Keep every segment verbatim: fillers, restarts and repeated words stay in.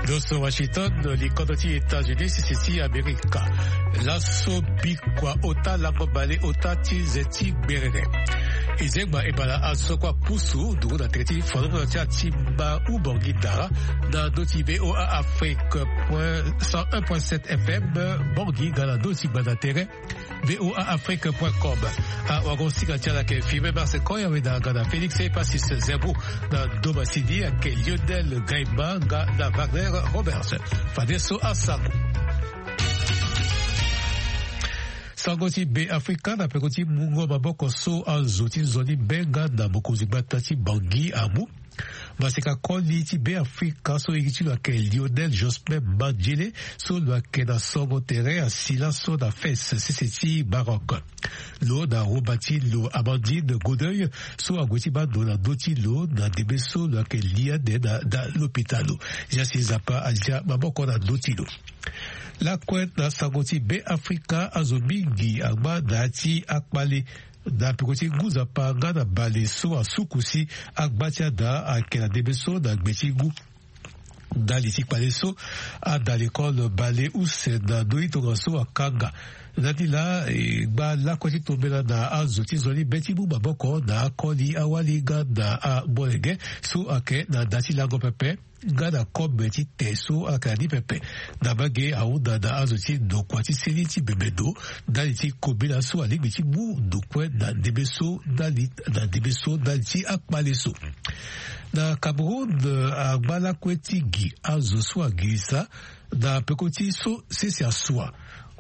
Nyonso Washington, likodro ti États-Unis, sese ti Amerika. Laso bikua ota lango bale ota ti nze ti gberene. E zengba e bala azo kua pusu nduru na tere ti fanongo ti atimba u Bangui Dara na ndö ti V O A Afrique point cent un point sept F M Bangui nga na ndö ti gbanda tere V O A Afrique point com. Awago-singa ti ala ayeke Firmin Mars Koya, weda nga na Félix Epasis Zerbo, na ndo masini ayeke Lionel Gaima nga na Wagner Roberts. Fadeso asango. Sango ti Be Afrika na peko ti mungo maboko so azo ti nzoni be nga na mokonzi gbata ti Bangui amu. Maseka koli ti Be Afrika so iri ti lo ayeke Lionel Jospin Mandjele, so lo yeke na songo tere asi laso na Fès, sese ti Maroc. Lo na roba ti lo Amandine Godeuil so ague ti baa ndo na ndö ti lo na ndembe so lo yeke li ande na, na lopitalo. Zasi Nzapa alia maboko na ndö ti lo. Lakue na sango ti Be Afrika, azo mingi angba na ya ti akpale na peko ti ngu Nzapa nga na bale so asuku si agba ti ada ayeke na ndembe so na gbe ti ngu. Ndali ti kpale so, ada lekole bale use na ndö ti tongaso akanga. Na ni laa e gba lakue ti tombela na azo ti nzoni be ti mu maboko na akoli awali nga na amolenge so ayeke na da ti lango pepe nga na kobe ti te so ayeke na ni pepe. Na mbage ahunda na azo ti ndokua ti seni ti bembe ndo ndali ti kobela so alingbi ti mu ndo kue na ndembe so ndali, na ndembe so ndali ti akpale so. Na Cameroun, eh, angba lakue ti gi azo so agirisa na peko ti so sese asua,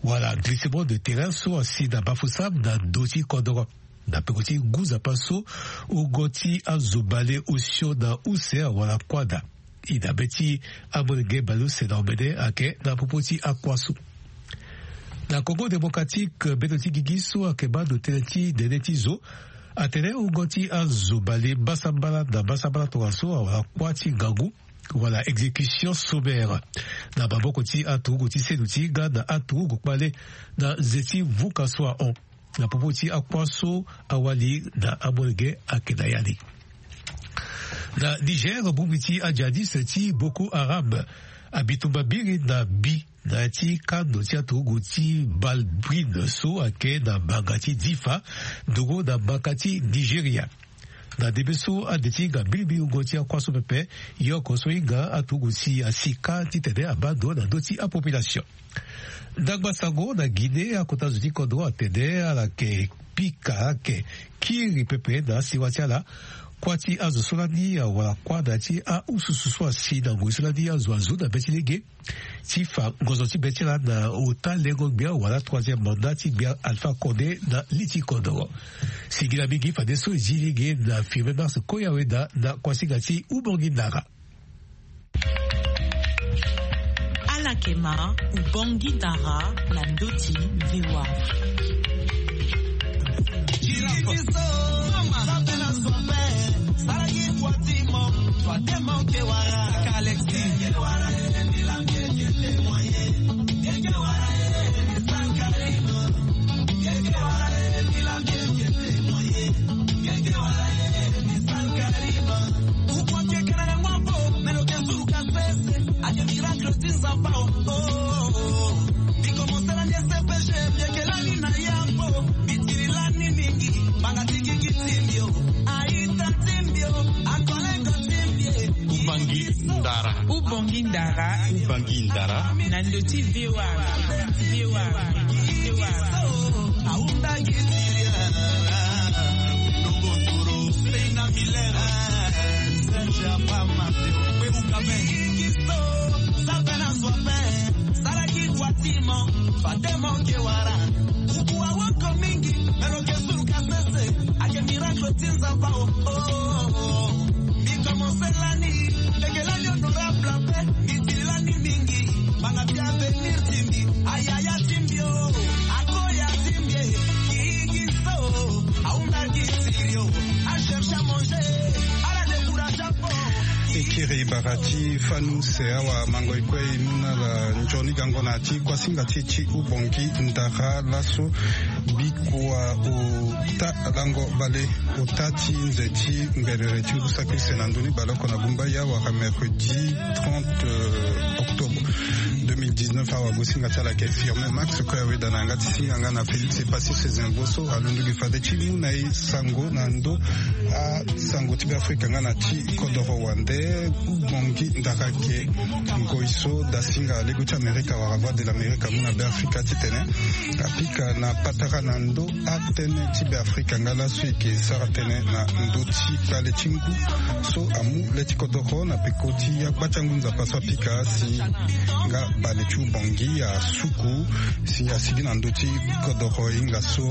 wala glissement de terrain so asi na Bafoussam na ndö ti kodoro. Na peko ti ngu Nzapa so, wungo ti azo bale osio na use awara kuâ daa. E na be ti amolenge bale use na omene ayeke na popo ti akua so. Na Congo Démocratique, bendo ti gigi so ayeke baa ndo tënë ti nene ti zo atene wungo ti azo bale mbasambala na mbasambala tongaso awara kuâ ti ngangu, wala exécution sommaire, na maboko ti aturugu ti seno ti hinga na aturugu kpale na nze ti vuka so ahon. Na popo ti akua so, awali na amolenge ayeke na ya ni. Na Niger, bongbi ti ajihadiste ti Boko Haram abi tumba mbiri na mbi na ya ti kando ti aturugu ti Balbrin so ayeke na mbanga ti Difa, nduru na mbaka ti Nigeria. Na ndembe so ande ti hinga mbilimbili wungo ti akua so pepe, yoko so hinga aturugu si asi kâ titene abaa ndo na ndö ti apopulation. Ndangba sango na Guinée, akota zo ti kodro atene ala yeke pika, ala yeke kiri pepe na asewa ti ala. Kuâ ti azo so lani awara kuâ na ya ti aususu so asi na ngoi so lani azo azo na be ti lege ti fa ngonzo ti be ti ala na ota lengo gbia wala troisième mandat ti gbia Alpha Condé na li ti kodoro. Singila mingi fadeso e zi lege na Firmin Mars Koya weda na kuasinga ti Ubongi Ndara. Ala yeke ma Ubongi Ndara na ndö ti V O A. Ake miracle ti Nzapa o, oh, oh, oh. Bikomo sala ni S P G, biekelani na yambo, bitiri lani mingi, banga ti gigi ti mbio, aita ti mbio, akolengo ti mbie. Ubangi ndara. Ubangi ndara. Ubangi ndara. Na ndö ti V O A, V O A, V O A. Aunda gitiria. Lobotoro, Seina Milera. Serge Apama. Kwe ukabe. Igiso, Sabena Sope. Saraki Kwatimo. Fatemo Kewara. Kuku awoko mingi. Melo ke suru kasese. Ake miracle ti Nzapa o. Oh, oh, oh. Mbi commencé lani. Leke lani honorable pe. Mbi tiri lani mingi. Banga ti avenir ti mbi. Ayaya ti mbi o. Akoya ti mbi e. Kiki so. Aunda ki tiri o. A cherche à manger. Ala décourage fort. E kiri bara ti fani use awa mango e kue e mu na ala nzoni gango na ti kuasinga ti e ti ubongi ndara laso. Bikua ota lango bale ota ti nze ti ngbelere ti ngu saki use na ndö ni baleoko na bumba ya wara mercredi trente octobre deux mille dix-neuf awa. Gosinga ti ala yeke Firmin Max Koyaweda na yanga ti singa nga na Félix Epassi Sezenvo so alondo gi fade ti mu na e sango na ndö asango ti Beafrika nga na ti kodoro wande. Ubongi ndara ayeke ngoi so dasinga lego ti Amerika wala Voix de l'Amérique amu na Beafrika titene apika na patara na ndö atënë ti Beafrika nga laso e yeke sara tënë na ndö ti kpale ti ngu so amu le ti kodoro na peko ti agba ti angu nzapa so apika si nga bale ti ubongi asuku si asigi na ndö ti kodoro e hinga so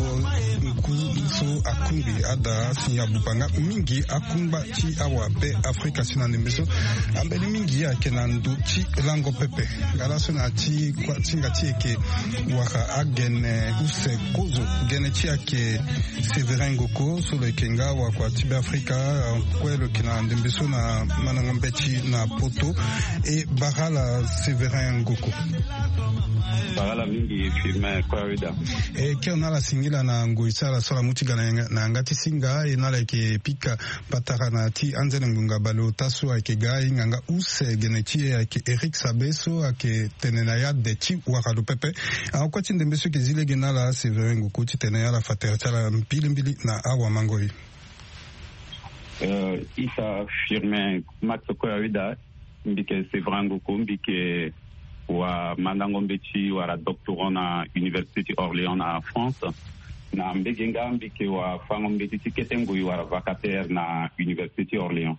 ngu so akungbi ada si abuba nga mingi akungba ti awabe Afrika si na ndembe so ambeni mingi ayeke na ndö ti lango pepe. Nga laso na ti kuâ ti hinga ti e yeke wara agene use kozo gene ti e ayeke Sévérin Ngoko so lo yeke nga wakua ti Beafrika kue lo yeke na ndembe so na mandango mbeti na poto. E bara ala Sévérin Ngoko. Bara ala mingi Firmin Koyaweda. E kiri na ala singila na ngoi ti ala so ala mu ti ga na yanga ti singa e na ala yeke pika patara na ti anzene ngbonga bale ota so ayeke ga e hinga nga use gene ti e ayeke Éric Sabe so ayeke tene na ya de ti wara lo pepe. Ahon kue ti ndembe so e yeke zi lege na ala Sévérin Ngoko titene ala fa tere ti ala mbilimbili na awamango e. Euh, isa Firmin Max Koyaweda, mbi yeke Sévérin Ngoko, mbi yeke wamandango mbeti wala doctorant na Université ti Orléans na France. Na mbege nga mbi yeke wafango mbeti ti kete ngoi wala vacataire na Université ti Orléans.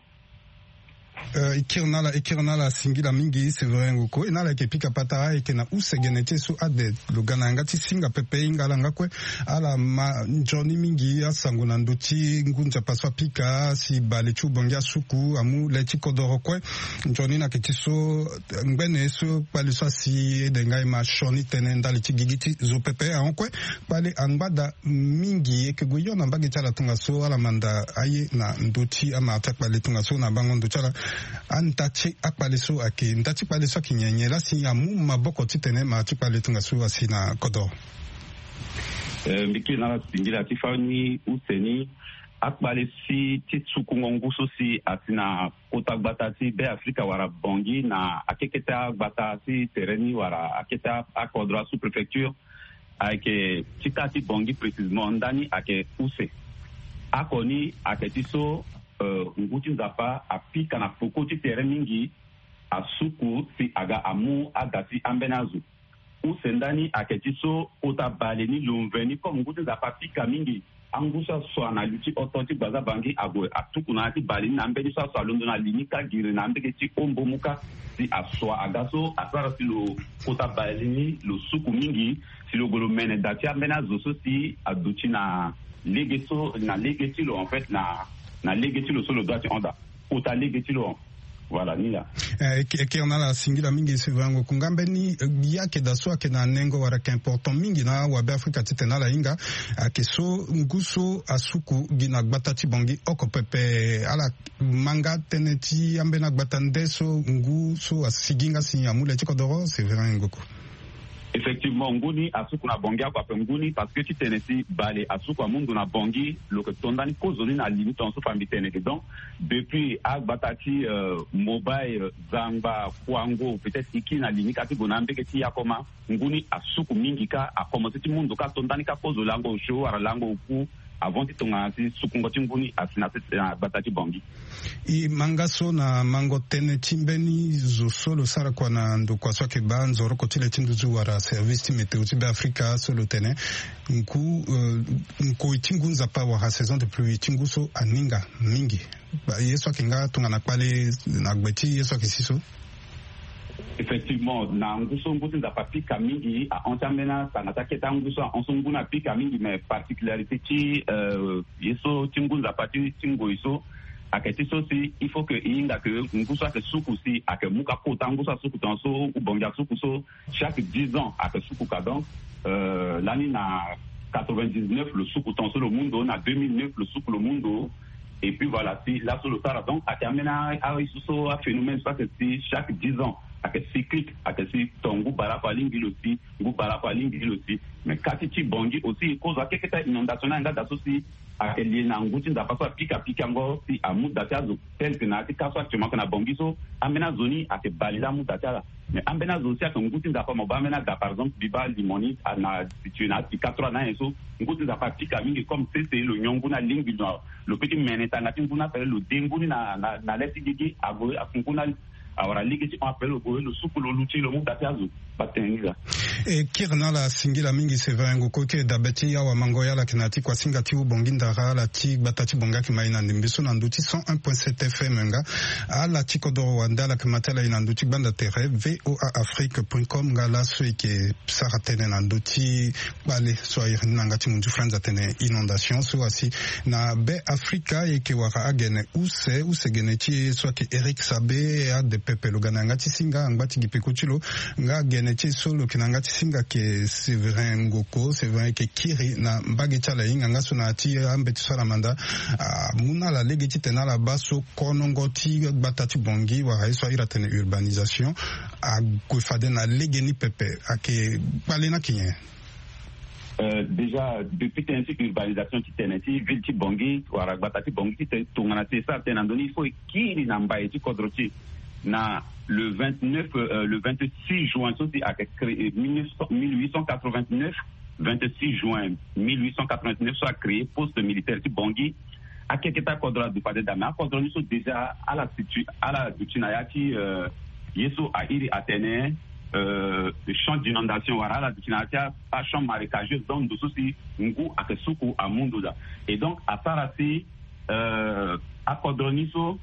Euh, e kiri na ala, e kiri na ala singila mingi Sévérin Ngoko. E na ala yeke pika patara ayeke na use gene ti e so ade lo ga na yanga ti singa pepe e hinga ala nga kue ala ma nzoni mingi asango na ndö ti ngu nzapa so apika si bale ti ubongi asuku amu le ti kodoro kue. Nzoni ni ayeke ti so ngbene so kpale so asi ede nga e ma sioni tënë ndali ti gigi ti zo pepe ahon kue. Kpale angba daa mingi e yeke gue hio na mbage ti ala tongaso ala manda aye na ndö ti amara ti akpale tongaso na bango ndo ti ala. Anda ti akpale so ayeke nda ti kpale so ayeke nyen nyen laa si amu maboko titene mara ti kpale tongaso asi na kodoro. Eh, mbi kiri na ala singila ti fani use ni akpale si ti sukungo ngu so si asi na kota gbata ti Beafrika wala Bangui na akekete agbata ti tere ni wala akete akodro asous-préfecture. Ayeke ti kâ ti Bangui précisément ndani ayeke use. Oko ni ayeke ti so, euh, ngu ti Nzapa apika na peko ti tere mingi asuku si aga amu ada ti ambeni azo. Use ndani ayeke ti so kota bale ni lo mveni comme ngu ti Nzapa apika mingi. Angu so asua na li ti oto ti gbaza Bangui ague atuku na ya ti bale ni na ambeni so asua alondo na li ni kâ giri na ambege ti ombo mu kâ si asua aga so asara si lo kota bale ni lo suku mingi si lo gue lo mene da ti ambeni azo so si aduti na lege so na lege ti lo en fait na na lege ti lo so lo dua ti hon daa kota lege ti lo. Voilà ni laa. Eh, e kiri na ala singila mingi Sévérin Ngoko nga mbeni, eh, ya ayeke daa so ayeke na nengo wala ayeke important mingi na awabe Afrika titene ala hinga ayeke so ngu so asuku gi na gbata ti Bangui oko pepe. Ala ma nga tënë ti ambeni agbata nde so ngu so asigi nga si amu le ti kodoro Sévérin Ngoko. Effectivement ngu ni asuku na Bangui oko ape ngu ni parce que titene si bale asuku amu ndo na Bangui lo yeke to ndani kozo ni na li ni tongaso fa mbi tene eke donc depuis agbata ti, euh, Mobay, euh, Zangba, Kouango, peut-être e kiri na li ni kâ ti gue na ambege ti Yakoma. Ngu ni asuku mingi kâ akomanse ti mu ndo kâ to ndani kâ kozo lango osio wala lango oku avant ti tongana si sukungo ti ngu ni asi na sese na gbata ti Bangui. E ma nga so na mango tënë ti mbeni zo so lo sara kua na ndokua so ayeke baa nzoroko ti le ti nduzu wala service ti météo ti Beafrika so lo tene ngu, euh, nkoi ti ngu Nzapa wala saison de pluie ti ngu so aninga mingi. Ye so ayeke nga tongana kpale na gbe ti ye so ayeke si so. Effectivement na ngu so ngu ti Nzapa apika mingi ahon ti ambeni asanga ti akete angu so ahon so ngu ni apika mingi mais particularité ti, euh, ye so ti ngu Nzapa ti ti ngoi so ayeke ti so si il faut que e hinga que ngu so ayeke suku si ayeke mu kâ kota ngu so asuku tongaso ou Bangui asuku so chaque dix ans ayeke suku kâ donc, euh, lani na quatre-vingt-dix-neuf lo suku tongaso lo mu ndo na deux mille neuf lo suku lo mu ndo. Et puis voilà, si laso lo sara, donc ayeke ambeni aye so so aphénomène so ayeke si chaque dix ans, ayeke cyclique, ayeke si ton ngu baleoko alingbi lo si, ngu baleoko alingbi lo si. Mais kâ ti ti Bangui aussi e kozo akeketa inondation ni ayeke nga da so si ayeke lie na ngu ti nzapa so apika pikango si amu da ti azo. Tel que na ya ti ka so actuellement ayeke na Bangui so, ambeni azo ni ayeke bale laa amu da ti ala. Mais ambeni azo aussi ayeke ngu ti nzapa mo baa ambeni aga par exemple mbi baa limo ni, na situé na apika trois na anyen so, ngu ti nzapa apika mingi comme sese lo nyon ngu ni alingbi lo, lo peut ti mene tanga ti ngu ni ape lo de ngu ni na na na le ti gigi ague aku ngu ni awara lege ti hon ape lo gue lo suku lo luti lo mu da ti azo. Baa tene ni laa. E kiri na ala singila mingi Séverin Ngoko, e kiri dabe ti awamango ya ala yeke na ya ti kuasinga ti Haut-Bangui ndara, ala ti gbata ti Bangui ayeke ma e na ndembe so na ndö ti cent un point sept F M nga. Ala ti kodoro wande ala yeke ma ti ala e na ndö ti gbanda tere V O A Afrique point com nga laso e yeke sara tënë na ndö ti kpale so a iri ni na yanga ti munzu France atene inondation so asi na be Afrika. E yeke wara agene use, use gene ti e so ayeke Eric Sabe, ade pepe lo ga na yanga ti singa angba ti gi peko ti lo. Nga gene ti e so lo yeke na yanga ti singa ayeke Séverin Ngoko. Séverin e yeke kiri na mbage ti ala e hinga nga so na ya ti ambeti so ala manda amu na ala lege titene ala baa so konongo ti gbata ti Bangui wala ye so a iri atene urbanisation ague fade na legeni pepe. Ayeke kpale ni ayeke nyen? Euh, déjà depuis tënë ti urbanisation ti tene ti ville ti Bangui wala gbata ti Bangui ti tene tongana si e sara tënë na ndö ni il faut e kiri na mbai ti kodro ti e. Na le vingt-neuf, euh, le vingt-six juin so si ayeke créé mille neuf cent, mille huit cent quatre-vingt-neuf, vingt-six juin mille huit cent quatre-vingt-neuf so a créé poste militaire ti Bangui. Akeketa akodro aduti fade daa, mais akodro ni so déjà ala situé, ala duti na ya ti, euh, ye so a iri atene, euh, champ d'inondation wala ala duti na ya ti a, a champ marécageux, donc ndo so si ngu ayeke suku amu ndo daa. Et donc asara si, euh, akodro ni so,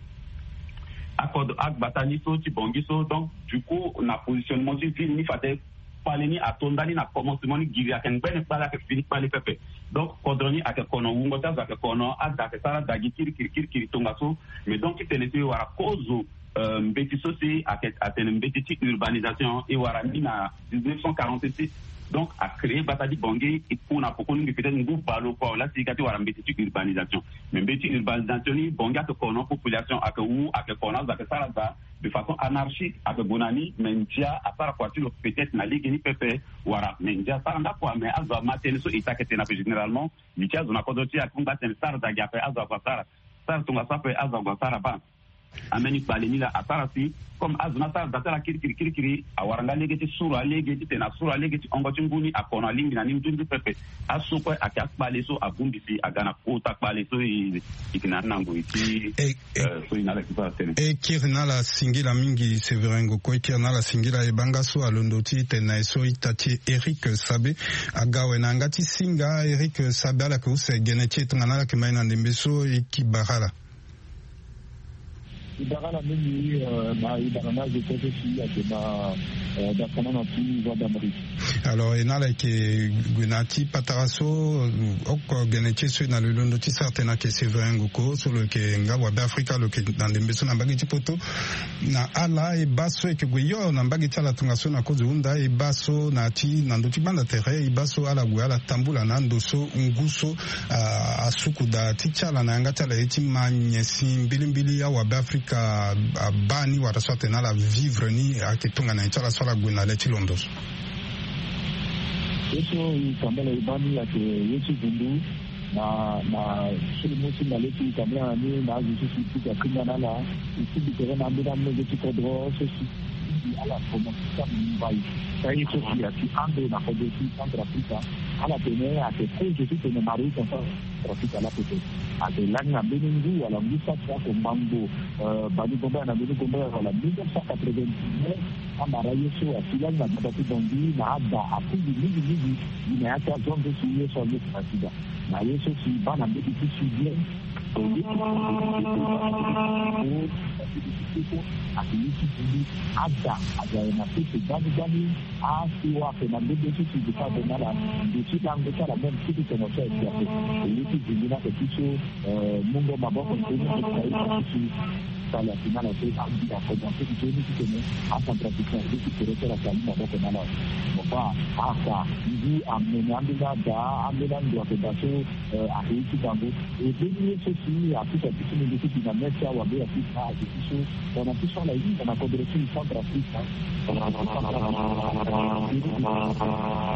akodro agbata ni so ti Bangui so, donc du coup na positionnement ti ville ni fade kpale ni ato ndani na commencement ni giri ayeke ngbene kpale ayeke fini kpale pepe. Donc kodro ni ayeke kono, wungo ti azo ayeke kono, ada ayeke sara ada gi kirikiri kirikiri tongaso. Mais donc ti tene si e wara kozo, euh, mbeti so si ayeke atene mbeti ti urbanisation e wara ni na dix-neuf cent quarante-six. Donc a créé gbata ti Bangui e ku na poko ni mingi, peut-être ngu baleoko awe laa si e ga ti wara mbeti ti urbanisation. Mais mbeti ti urbanisation ni Bangui ayeke kono, population ayeke wu, ayeke kono, azo ayeke sara ada de façon anarchique, ayeke gue na ni. Mais ndia asara kua ti lo peut-être na legeni pepe wala mais ndia asara nga kua, mais azo ama tënë so e ta ayeke tene ape généralement. Li ti azo na kodro ti e ayeke hunda tene sara da gi ape azo ague asara, sara tongaso ape azo ague asara baa. Ambeni kpale ni laa asara si comme azo ni asara da ti ala kirikiri kirikiri awara nga lege ti suru alege titene asuru alege ti hongo ti ngu ni akono alingbi na ni nzunzu pepe. Aso kue ayeke akpale so abongbi si aga na kota kpale so e yeke na ni na ngoi ti, eh, eh, euh, so e na ala yeke sara tënë. E kiri na ala singila mingi Séverin Ngoko, e kiri na ala singila. E baa nga so alondo ti tene na e so ita ti e Eric Sabe aga awe na yanga ti singa. Eric Sabe, ala yeke use gene ti e tongana ala yeke ma e na ndembe so, e yeke bara ala. E bara ala mingi, euh, na e bara nga azo kue so si ayeke ma, euh, da kana na ti Voix d'Amérique. Alors e na ala yeke gue na ya ti patara so, euh, oko gene ti e so e na lo e londo ti sara tënë ayeke Séverin Ngoko so lo yeke nga wabe Afrika, lo yeke na ndembe so na mbage ti poto. Na ala e baa so e yeke gue hio na mbage ti ala tongaso na kozo hunda, e baa so na ya ti na ndö ti gbanda tere e baa so ala gue ala tambula na ando so ngu so, ah, asuku daa ti ti ala na yanga ti ala ye ti ma nyen si mbilimbili awabe Afrika abaa ni wala so atene ala vivre ni ayeke tongana nyen ti ala so ala gue na le ti londo so. Ye so e tambala e baa ni ayeke ye ti vundu na, na sulu mu ti na le ti e tambala na ni na azo so si e pika kringa na ala. E tingbi tere na ambeni amolenge ti kodro so si e tingbi ala kono ti samu mbai. Ka ye so si ayeke ando na kodro ti Centrafrique, ala tene ayeke kozo titene Maroc na Centrafrique ala pepe. Ayeke lani na mbeni ngu wala ngu saki oko ngbangbo, euh, bani gombe na mbeni gombe wala mille neuf cent quatre-vingt-dix-neuf, amara ye so asi lani na gbata ti Bangui na ada akundu mingi mingi gi na ya ti azonzo si ye so aleke na sida. Na ye so si baa na mbeti ti sud bien. Ake ye ti bulu ada aga na pese gbani gbani. Asiwa ake na mbeti so si duka be na ala ndo ti lango ti ala même ti ti tongo so ayeke ape. Ye ti bulu na ake ti so, euh, mungo maboko ti so ni ake ti so. Ala final aso abi akomanse ti joni titene acentrafricain azo ti pere so ala si ali maboko na ala. Papa aka ngu amene ambeni ada, ambeni ando ayeke daa so ayeke ye ti bango. E mbeni ye so si apusu aduti ni nde so bi na mê ti awambe ya afrika ayeke ti so. Tongana ti so ala hinga na kodro ti centrafrique.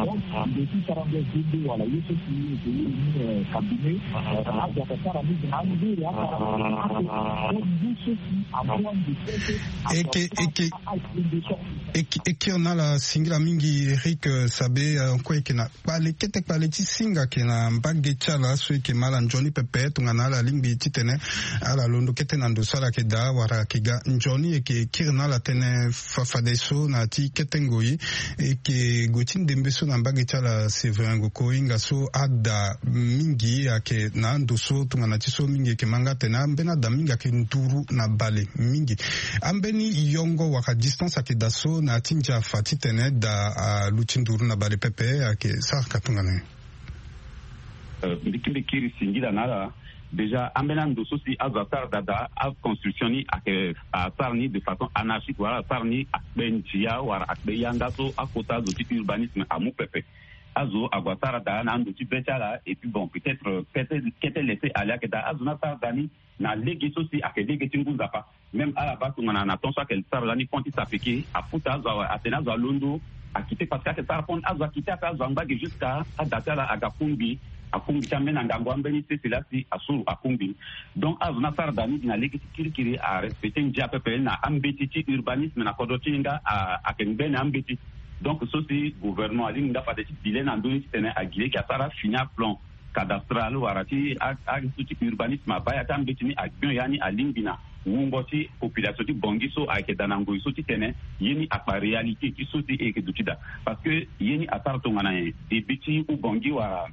Donc nde ti sara nde zende wala ye so si eke ye ni cabinet. Azo ayeke sara mingi na angere asara mingi ake. Donc ngu so si amu ande kete. Eke eke eke eke na ala singila mingi Eric Sabe. Kue eke na kpale kete kpale ti singa ayeke na mbage ti ala so eke ma ala nzoni pepe tongana ala lingbi titene ala londo kete na ndo so ala yeke daa wala ayeke ga nzoni eke kiri na ala tënë. Fafadeso na ya ti kete ngoi eke gue ti ndembe so na mbage ti ala Séverin Ngoko hinga so ada mingi ayeke na ando so tongana ti so mingi eke ma nga atene ambeni ada mingi ayeke nduru na bale mingi. Ambeni yongo wala distance ayeke daa so na ya ti ndia afa titene daa aluti nduru na bale pepe ayeke sara ka tongana nyen? Mbi kiri singila na ala. Déjà ambeni ando so si azo asara daa daa aconstruction ni ayeke asara ni de façon anarchique wala asara ni akpe ndia wala akpe yanga so akota azo ti urbanisme amu pepe. Azo ague asara daa na ando ti be ti ala et puis bon peut-être kete kete laisser aller ayeke daa azo ni asara daa ni na lege so si ayeke lege ti ngu nzapa. Même ala baa tongana na temps so ayeke sara lani pont ti sapeke aputa azo awe atene azo alondo akite parce que ayeke sara pont azo akite aka azo angba ge jusqu'à ada ti ala aga kungbi. Akungbi ti ambeni angangu ambeni sese laa si asuru akungbi. Donc azo ni asara daa ni gi na lege ti kirikiri arespecte ndia pepe na ambeti ti urbanisme na kodro ti e nga ayeke ngbene ambeti. Donc so si gouvernement alingbi nga fade ti dile na ndö ni titene agi lege asara fini aplan cadastral wala ti aye so ti urbanisme abaa ya ti ambeti ni agbio ya ni alingbi na wungo ti population ti bongi so ayeke daa na ngoi so titene ye ni akpa réalité ti so si e yeke duti daa. Parce que ye ni asara tongana nyen? Débit ti ubongi wala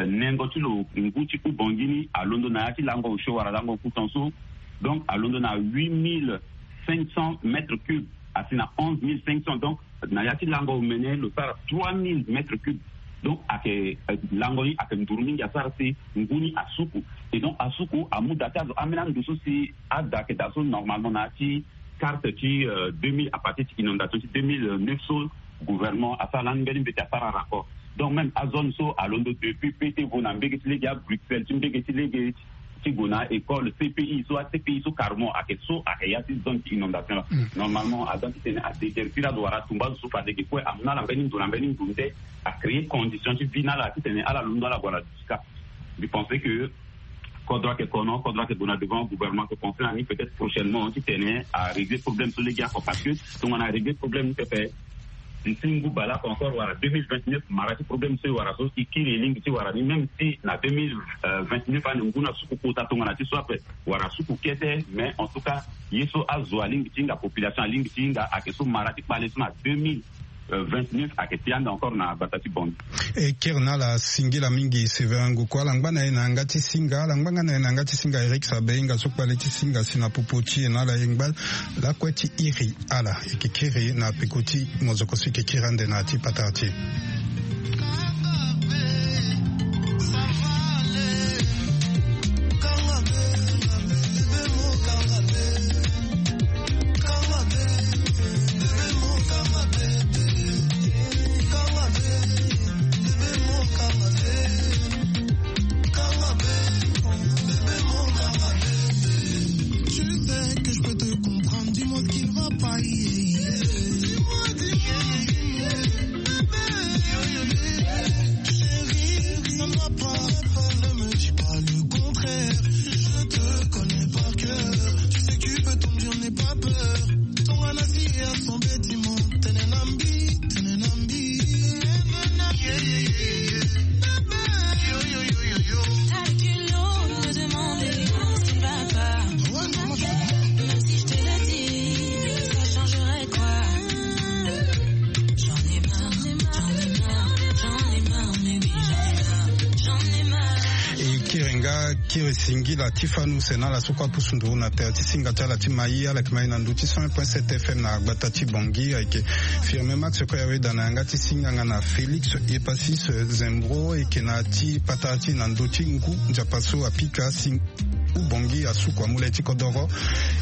nengo ti lo ngu ti ubongi ni alondo na ya ti lango osio wala lango okuton so. Donc alondo na huit mille cinq cents mètres cubes asi na onze mille cinq cents. Donc na ya ti lango omene lo sara trois mille mètres cubes. Donc ayeke lango ni ayeke nduru mingi asara si ngu ni asuku. Et donc asuku amu daa ti azo ambeni ando so si ada ayeke daa so normalement na ya ti carte ti deux mille à partir ti inondation ti deux mille neuf so gouvernement asara lani mbeni mbeti asara rapport. Donc même azone so alondo depuis pe ti vo na mbege ti lege abruxelles ti mbege ti lege ti gue na école cpi so acpi so carrement ayeke so ayeke ya ti zone ti inondation la. Normalement aza titene adéterpire azo wala atumba azo so fade ge kue amu na ala mbeni ndo na mbeni ndo nde acréer condition ti vie na ala titene ala londo ala gue ala duti kâ. Mbi pense que kodro ayeke kono kodro ayeke gue na devant gouvernement ayeke pense na ni peut-être prochainement titene arégler problème so lege oko parce que tongana arégler problème ni pepe. Nti ngu baleoko encore wala deux mille vingt-neuf mara ti problème so e wara so e kiri e lingbi ti wara ni même si na deux mille vingt-neuf ane ngu na suku kota tongana ti so ape wara suku kete. Mais en tout cas ye so azo alingbi ti hinga population alingbi ti hinga ayeke so mara ti kpale so na deux mille vingt-neuf ayeke ti ande encore na gbata ti bongi. E kiri na ala singila mingi Séverin Ngoko ala ngba na e na yanga ti singa ala ngba nga na e na yanga ti singa Eric Sabe hinga so kpale ti singa si na popo ti e na ala e ngba lakue ti iri ala e yeke kiri na peko ti mozoko so e yeke kiri ande na ya ti patara ti e. Tu sais que je peux te comprendre, dis-moi ce qui ne va pas. Chérie, ça ne va pas, ne me dis pas le contraire. Je te connais par cœur. Tu sais que tu peux tomber, je n'ai pas peur. Ton anasi est à son bâtiment. Tenenambi, tenenambi. T'as qu'une autre demande, ce qui ne va pas. Même si je te le dis, ça changerait quoi? J'en ai marre, j'en ai marre, j'en ai marre, mais oui, j'en ai marre, j'en ai marre. E kiri nga kiri singila ti fanu sena ala so kue apusu nduru na tere ti singa ti ala ti mai ala yeke mai na ndö ti cent un point sept F M na gbata ti Bangui ayeke Firme Max kue aweda na yanga ti singa nga na Félix Epasis Zembro eke na ti patara ti na ndö ti ngu nzapa so apika sing Ubongi asuku amu le ti kodoro.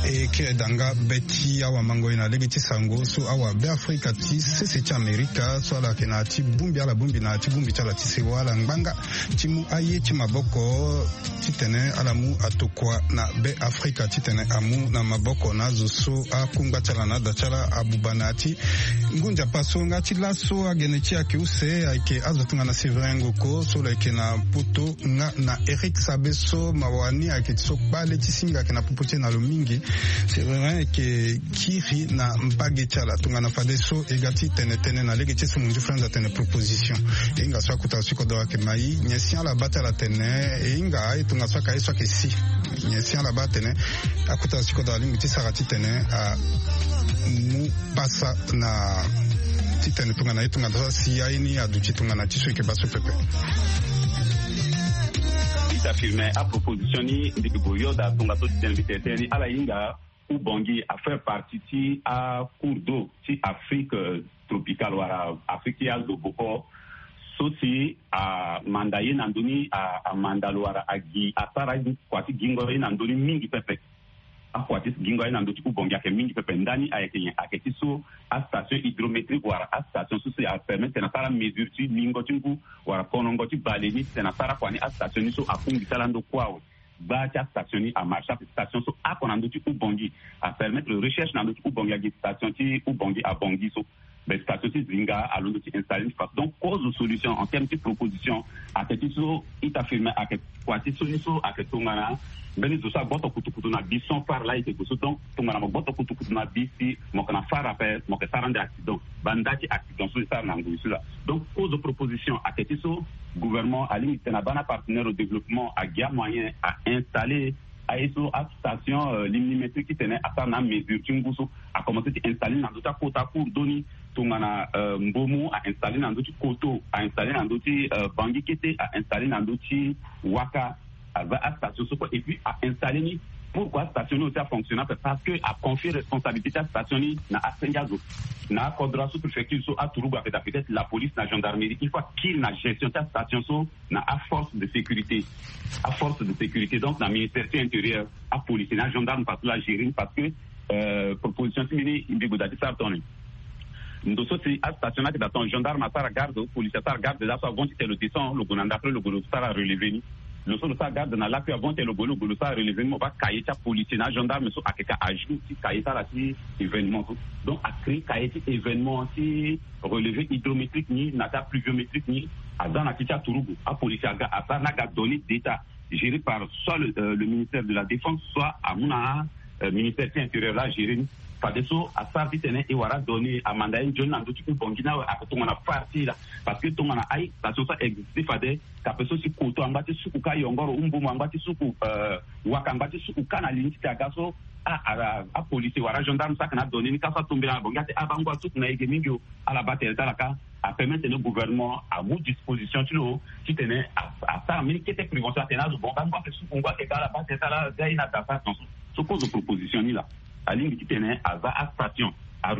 E kiri danga be ti awamango ye na lege ti sango so awabeafrika ti sese ti amerika so ala yeke na ya ti bongbi, ala bongbi na ya ti bongbi ti ala ti sewa ala ngbanga ti mu aye ti maboko titene ala mu atokua na beafrika titene amu na maboko na azo so akungba ti ala na ada ti ala abuba na ya ti ngu nzapa so nga ti laso agene ti ayeke use ayeke azo tongana Séverin Ngoko so lo yeke na poto nga na Eric Sabe so mawa ni ayeke ti so kpale ti singa ayeke na popo ti e na lo mingi. Séverin ayeke kiri na mbage ti ala tongana fadeso e ga ti tene tënë na lege ti so mo nzi frenz atene proposition. E hinga so akota so kodoro ayeke mai nyen si ala baa ti ala tene e hinga aye tongaso aka ye so ayeke si nyen si ala baa atene akota so kodoro alingbi ti sara titene amu pasa na titene tongana ye tongana so asi aye ni aduti tongana ti so e yeke baa so pepe. Ita firme aproposition ni mbi ke gue yoda tongaso titene mbi tene tënë ni ala hinga ubongi afaire partie ti acours d'eau ti afrique tropicale wala afrique ti azo boko so si amanda ye na ndö ni amanda lo wala agi asara kua ti gingo ye na ndö ni mingi pepe. Akua ti gingo aye na ndö ti ubongi ayeke mingi pepe ndani ayeke nyen ayeke ti so astation hydrométrique wala astation so si apermettre na sara mesure ti lingo ti ngu wala konongo ti bale ni titene asara kua ni astation ni so akungbi ti ala ndo kue awe. Gba ti astation ni amarche ape station so ako na ndö ti ubongi apermettre recherche na ndö ti ubongi agi station ti ubongi abongi so. Mais station ti zinga alondo ti installer ni façon donc cause solution en terme ti proposition ayeke ti so ita firme ayeke kua ti so ni so ayeke tongana mbeni zo so agboto kutukutu na bi sans phare laa e yeke gue so donc tongana mo gboto kutukutu na bi si mo yeke na phare ape mo yeke sara ande accident. Banda ti accident so e sara na ngoi so laa donc cause proposition ayeke ti so gouvernement alingbi titene abaa na partenaire au développement agi amoyen a installer aye so astation limnimétrique titene asara na amesure ti ngu so akomense ti installer na ndö ti akota cours d'eau ni tongana mbomu a installer na ndö ti koto a installer na ndö ti bangi kete a installer na ndö ti waka aza astation so kue et puis a installer ni pourquoi astation ni aussi afonctionne ape parce que aconfie responsabilité ti astation ni na asenge azo na akodro asous-préfecture so aturugu ayeke daa peut-être la police na gendarmerie il faut akiri na gestion ti astation so na aforce de sécurité aforce de sécurité donc na ministère ti intérieur apolice na agendarme parce que la gérer ni parce que proposition ti mbi ni mbi gue daa ti sara tongana ni ndo so si astation ni ayeke daa tongana gendarme asara garde policier asara garde laa so avant ti tene lo descend lo gue na ndapre lo gue lo sara relever ni lo so lo sara garde na lakui avant ti tene lo gue lo gue lo sara relever ni mo baa cahier ti apolicier na agendarme so ayeke ka ajour ti cahier ti ala ti événement so donc acréer cahier ti événement ti relever hydrométrique ni na ti apluviométrique ni aza na ti ti aturugu apolicier aga asara ni aga donner d'état géré par soit le, euh, le ministère de la défense soit amu na euh, ministère ti intérieur la géré ni fadeso asara titene e wara donné amanda ye nzoni na ndö ti ku bongi ni awe ake tongana phare ti e laa parce que tongana aye station so a existe fade kape so si koto angba ti suku ka yongoro umbumu angba ti suku euh, waka angba ti suku ka na li ni ti te aga so apolice wala agendarme so ake na adonné ni ka so atombela na bongi ate abango asuku na ege mingi o ala baa tere ti ala ka apermettre tene gouvernement amu disposition ti lo titene asara mbeni kete prévention atene azo bongo angba ake suku ngba ake ka ala baa tere ti ala ga ye na ata asara tonso so kozo proposition ni laa alingbi titene aza astation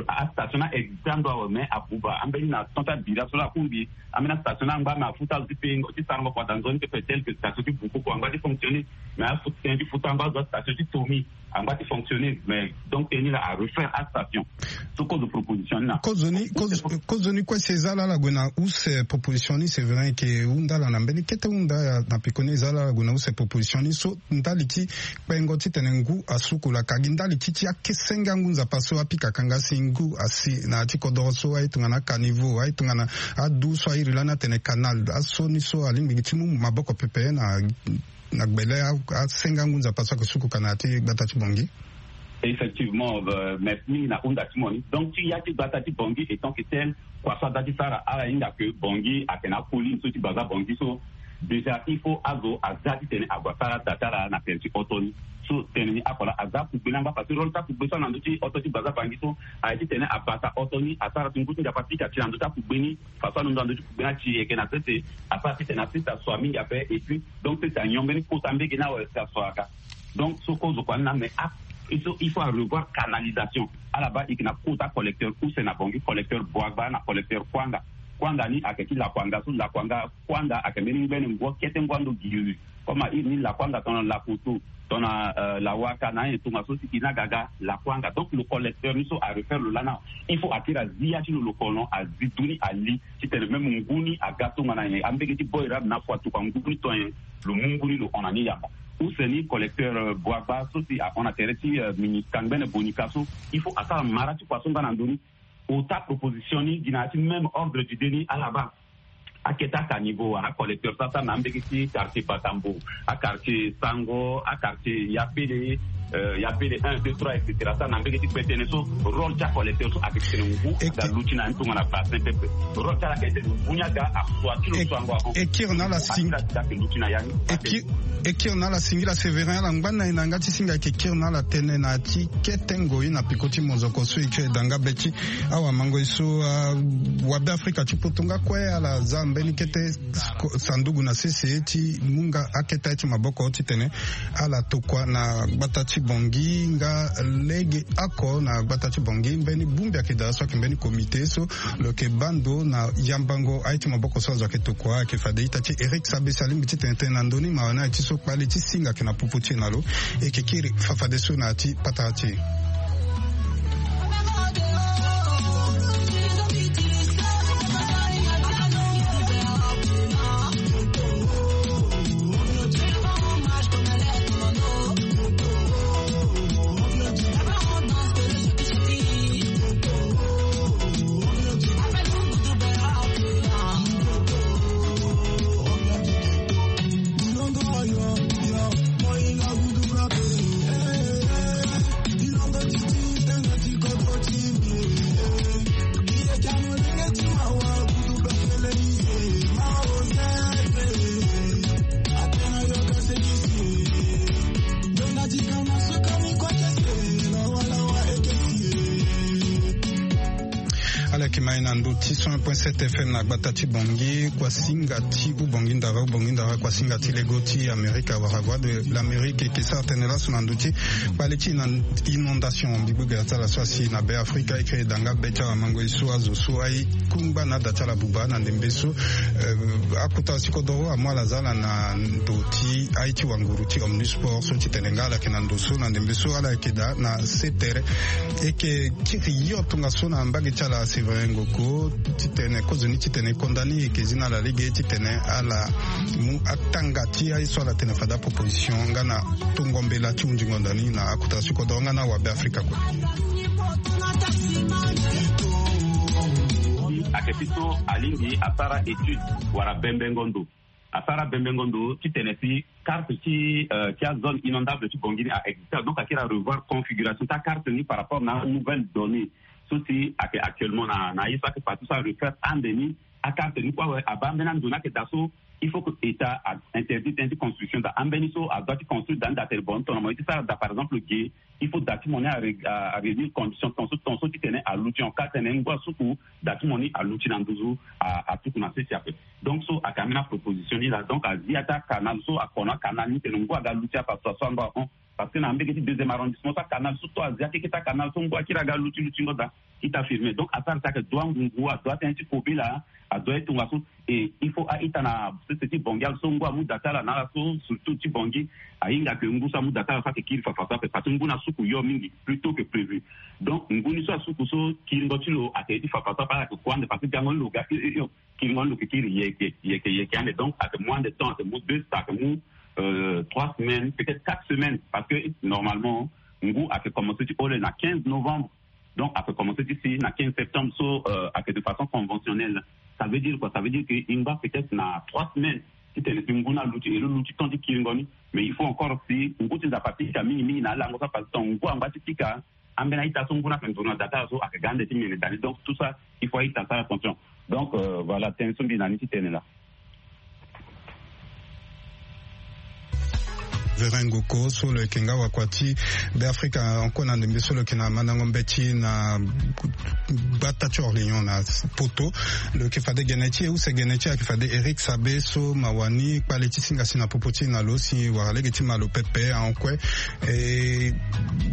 astation ni a existe ando awe mais abuba ambeni na temps ti abira so laa akungbi ambeni astation ni angba mais afuta azo ti pengo ti sarango kua daa nzoni pepe tel que station ti bukoko angba ti fonctionner mais afuta tënë ti futa angba azo astation ti tomi angba ti fonctionner mais donc tënë ni laa arefaire astation so kozo proposition ni na kozoni kozoni kue si eza laa ala gue na use proposition ni severin eke hunda ala na mbeni kete hunda na pekoni eza laa ala gue na use proposition ni so ndali ti kpengo titene ngu asuku laka gi ndali ti ti akesenge angu nzapa so apikaka nga si ngu asi na ya ti kodoro so aye tongana akaniveau aye tongana adu so airi lani atene canal aso ni so alingbi gi ti mu maboko pepe na na gbele asenga ngu nzapa so ake suku ka na ya ti gbata ti bongi. Effectivement, merci mingi na hunda ti mo ni donc ti ya ti gbata ti bongi étant que tel kua so ada ti sara ala hinga ke bongi ake na akolini so ti baza bongi so déjà il faut azo aza titene ague asara da ti ala na tere ti oto ni so tene ni ako laa aza akugbe ni angba parce que role ti akugbe so ana ndö ti oto ti baza bangi so aye titene abata oto ni asara ti ngu ti nzapa pika ti na ndö ti akugbe ni façon alondo na ndö ti kugbe ni ati yeke na sese asara titene asese aso mingi ape et puis donc sese anyon mbeni kota mbege ni awe si aso aga donc so kozo kua ni na mais a il faut arevoir canalisation ala baa eke na kota collecteur use na bongi collecteur boagba na collecteur kuanga Kuanga ni ayeke ti lakuanga so, lakuanga kuanga ayeke mbeni ngbene ngua kete ngua ndo giri. Comme a iri ni lakuanga tongana lakutu, tongana lawaka na anyen tongaso si e na ga aga lakuanga. Donc lo collecteur ni so a refaire lo lana, il faut a kiri azi ya ti lo, lo kolon azi du ni ali titene même ngu ni aga tongana nyen, ambege ti boy rabe na afu atuka ngu ni to nyen, lo mu ngu ni lo hon na ni yamba. Use ni collecteur boagba so si ahon na tere ti mini kangbene bonika so, il faut asara mara ti kua so nga na ndoni. Ota proposition ni gi na ya ti même ordre d'idée ni ala baa. Akete aka niveau wala acollecteur so asara na ambege ti quartier Batambo, aquartier Sango, aquartier Yapele, Yapele un deux trois et cetera, asara na ambege ti kpe tënë so. Rôle ti acollecteur so ayeke titene ngu aga luti na ni tongana bassin pepe. Rôle ti ala ayeke titene ngu ni aga asua ti lo so ango ahon. E kiri na ala singi. Akiri asi ayeke luti na ya ni. E kiri na ala singila Séverin, ala ngba na e na yanga ti singa. Ayeke kiri na ala tënë na ya ti kete ngoi na peko ti mozoko so e kiri da nga be ti awamango e so, wabe Afrika ti poto nga kue ala za mbeni kete sanduku na sese ti mu nga akete ti maboko titene ala tokua na gbata ti Bangui nga lege oko na gbata ti Bangui. Mbeni bongbi ayeke daa so ayeke mbeni comité so lo yeke baa ndo na yambango aye ti maboko so azo ayeke tokua. Ayeke fade ita ti Eric Sabesi alingbi titene tene na ndö ni mawa ni aye ti so kpale ti singa ayeke na popo ti e na lo. E yeke kiri fafadeso na ya ti patara ti e. Ala yeke ma e na ndö ti cent un point sept F M na gbata ti Bangui, kuasinga ti Ubangui Ndara, Ubangui Ndara, kuasinga ti lego ti Amerika wala Voix de l'Amérique. E yeke sara tënë laso na ndö ti kpale ti inondation, mbi gbu gbia ti ala so asi na Be Afrika. E yeke da nga be ti awamango e so, azo so aye kungba na ada ti ala buba na ndembe so. Akota si kodoro amu ala za ala na ndö ti aye ti wanguru ti Omnisport so titene nga ala yeke na ndö so na ndembe so ala yeke daa na se tere. E yeke kiri yo tongaso na mbage ti ala Séverin Ngoko titene kozoni titene e konda ni, e yeke zi na ala lege titene ala mu atanga ti aye so ala tene fade aproposition nga na tongo mbela ti hunzi ngonda ni na akota si kodoro nga na awabe Afrika kue. Ayeke ti so alingbi asara étude wala bembengo ndo. Asara bembengo ndo titene si carte ti ti azone inondable ti Bangui ni a existe, donc akiri arevoir configuration ti acarte ni par rapport na anouvelle donnée so si ayeke actuellement na na ye so ayeke partout so arefaire ande ni. Acarte ni kue awe abaa ambeni ando ni ayeke daa so il faut que état a interdit tënë ti construction daa. Ambeni so adoit ti construire daa ni daa tene bon tongana mo ye ti sara daa par exemple ge, il faut daa ti mo ni aréunir condition tongaso tongaso titene aluti en cas tene ngu asuku daa ti mo ni aluti na nduzu atuku na sese ape. Donc so ayeke ambeni aproposition ni laa. Donc azi ya ti acanal so akono acanal ni tene ngu aga luti ape asua so ango ahon. Parce que na mbege ti deuxième arrondissement so acanal so to azi akeke ti acanal so ngu akiri aga luti lutingo daa. Ita firme donc asara si ayeke dua ngungu adua tënë ti kobela adua ye tongaso. Et il faut a-ita na sese ti Bangui so ngu amu daa ti ala na ala so surtout ti Bangui ahinga ke ngu so amu daa ti ala so ayeke kiri fafa so ape parce que ngu ni asuku yo mingi plus tôt que prévu. Donc ngu ni so asuku so kiringo ti lo ayeke ye ti fafa so ape ala yeke kue ande parce que gango ni lo ga io io io. Kiringo ni lo yeke kiri yeke yeke yeke ande donc ayeke mu ande temps ayeke mu deux ayeke mu trois semaines peut-être quatre semaines parce que normalement ngu ayeke commence ti hole na quinze novembre. Donc ayeke commence ti si na quinze septembre so ayeke de façon conventionnelle. Ça veut dire quoi? Ça veut dire que e ngba peut-être na trois semaines titene si ngu ni aluti et lo luti temps ti kiringo ni. Mais il faut encore si ngu ti nzapa apika mingi mingi na alango so apasse temps ngu angba ti pika. Ambeni a-ita so ngu ni ayeke nzoni na daa ti ala so ayeke ga ande ti mene daa ni donc tout ça il faut a-ita asara attention. Donc voilà tënë so mbi na ni ti tene laa. Vérin Goko so lo yeke nga wakua ti Beafrika, encore na ndembe so lo yeke na mandango mbeti na gbata ti Orléans na poto. Lo yeke fade gene ti e, use gene ti e ayeke fade Eric Sabe so ma wani kpale ti singa si na popo ti e na lo si wara lege ti ma lo pepe ankue. E,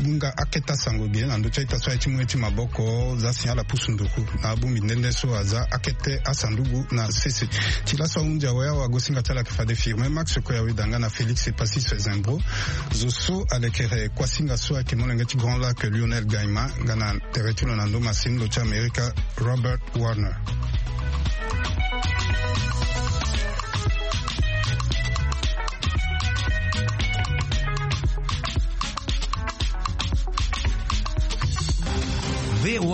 hunga akete asango ge na ndö ti a-ita so aye ti mu ye ti maboko za si ala pusu nduku na abongbi nde nde so aza akete asanduku na sese. Ti laso ahunzi awe awagosinga ti ala ayeke fade Firmin Max Koyawe Danga na Félix Epassis Zembro. Zo so alekere kuasinga so ayeke molenge ti Grand Lac Lionel Gaima nga na tere ti lo na ndo masini lo ti Amerika Robert Warner. V O A